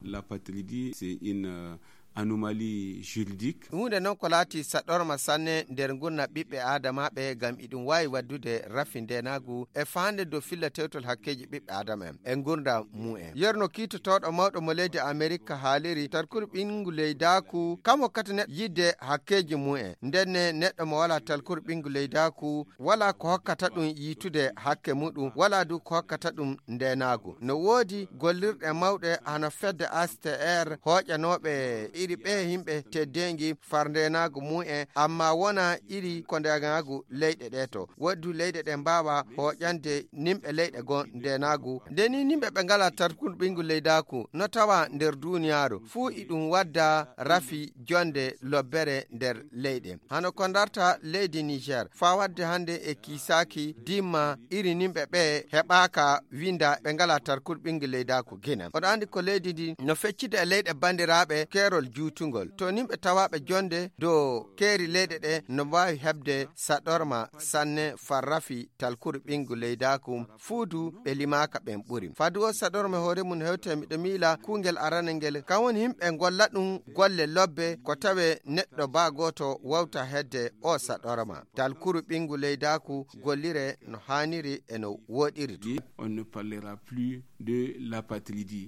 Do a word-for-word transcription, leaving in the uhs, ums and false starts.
L'apatridie, c'est une euh, anomalie juridique. Huunde noon ko laati saɗorma sanne nder ngurna ɓiɓɓe aadamaaɓe, ngam iɗum waawi waɗdude rafi ndeenaagu e faande dow filla tewtol hakkeeji ɓiɓɓe aadama en e ngurndam mumen. Yerno kiitotooɗo mawɗo mo leydi Amerika haaliri, talkuru ɓinngu leydaaku kam hokkata neɗɗo yiɗde hakkeeji mumen. Ndenne neɗɗo mo walaa talkuru ɓinngu leydaaku walaa ko hokkata ɗum yiitude hakke muɗum, walaa du ko hokkata ɗum ndeenaagu. No woodi gollirɗe mawɗe hano fedde A S T R hooƴanooɓe iri ɓe yimɓe teddeengi far ndeenaagu mumen, amma wona iri ko ndeenaagu leyɗe ɗe to. Woodi du leyɗe ɗe mbaawa hooƴande nimɓe leyɗe goo ndeenaagu. Nde ni nimɓe ɓe ngalaa talkuru ɓinngu leydaaku no tawa nder duuniyaaru, fuu iɗum wadda rafi jonnde lobbere nder leyɗe. Hano ko ndarta leydi Niger, faa wadde hannde e kiisaaki dimma iri nimɓe ɓe heɓaaka winda ɓe ngalaa talkuru ɓinngu leydaaku Gine. Oɗo anndi ko leydi ndi no feccida e leyɗe banndiraaɓe keerol juutungol. To nimɓe tawaaɓe jonnde dow keeri leyɗe ɗe no mbaawi heɓde saɗorma sanne far rafi talkuru ɓinngu leydaaku fuu du ɓe limaaka ɓen ɓuri. Fadu o saɗorma hoore mum hewte miɗo miila kuungel arana ngel, kan woni yimɓe ngolla ɗum golle lobbe ko tawe neɗɗo baa gooto wawta hedde o saɗorma. Talkuru ɓinngu leydaaku gollire no haaniri e no wooɗiri tun. On ne parlera plus de l'apatridie.